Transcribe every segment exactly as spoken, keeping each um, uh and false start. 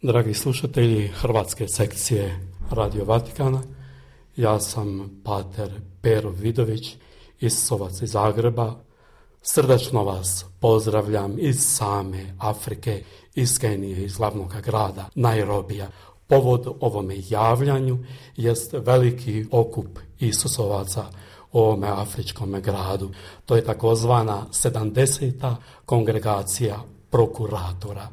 Dragi slušatelji hrvatske sekcije Radio Vatikana, ja sam pater Pero Vidović, Isusovac iz Zagreba. Srdačno vas pozdravljam iz same Afrike, iz Kenije, iz glavnog grada Nairobija. Povod ovome javljanju jest veliki okup Isusovaca u ovome afričkom gradu. To je takozvana sedamdeseta kongregacija prokuratora.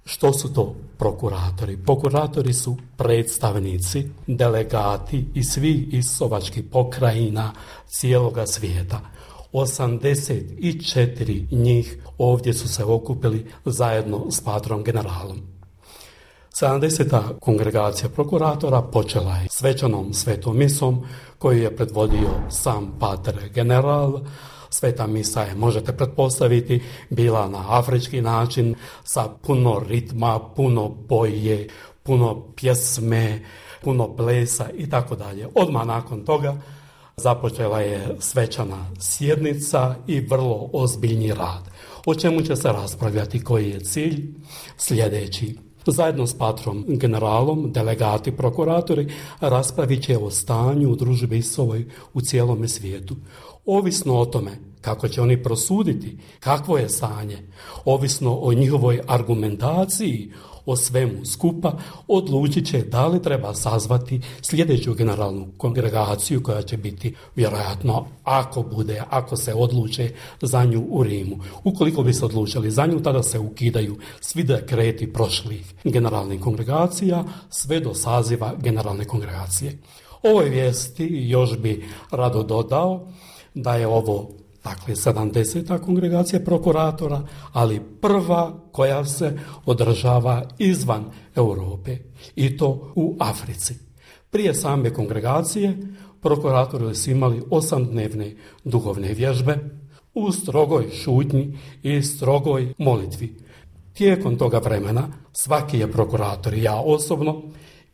Što su to prokuratori? Prokuratori su predstavnici, delegati iz svih isusovačkih pokrajina cijeloga svijeta. osamdeset četiri njih ovdje su se okupili zajedno s patrom generalom. sedamdeseta kongregacija prokuratora počela je svečanom svetom misom koju je predvodio sam pater general. Sveta misa je, možete pretpostaviti, bila na afrički način sa puno ritma, puno boje, puno pjesme, puno plesa i tako dalje. Odmah nakon toga započela je svečana sjednica i vrlo ozbiljni rad. O čemu će se raspravljati, koji je cilj? Sljedeći. Zajedno s patrom generalom, delegati, prokuratori raspravit će o stanju u družbi Isusovoj u cijelome svijetu. Ovisno o tome kako će oni prosuditi kakvo je stanje, ovisno o njihovoj argumentaciji o svemu skupa, odlučit će da li treba sazvati sljedeću generalnu kongregaciju koja će biti vjerojatno, ako bude, ako se odluče za nju u Rimu. Ukoliko bi se odlučili za nju, tada se ukidaju svi dekreti prošlih generalnih kongregacija sve do saziva generalne kongregacije. Ovoj vijesti još bi rado dodao da je ovo, dakle, sedamdeseta kongregacija prokuratora, ali prva koja se održava izvan Europe, i to u Africi. Prije same kongregacije prokuratori su imali osamdnevne duhovne vježbe u strogoj šutnji i strogoj molitvi. Tijekom toga vremena svaki je prokurator, ja osobno,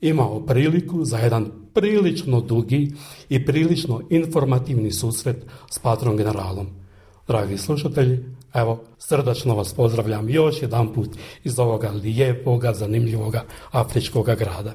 imao priliku za jedan prilično dugi i prilično informativni susret s patrom generalom. Dragi slušatelji, evo, srdačno vas pozdravljam još jedan put iz ovoga lijepoga, zanimljivoga afričkoga grada.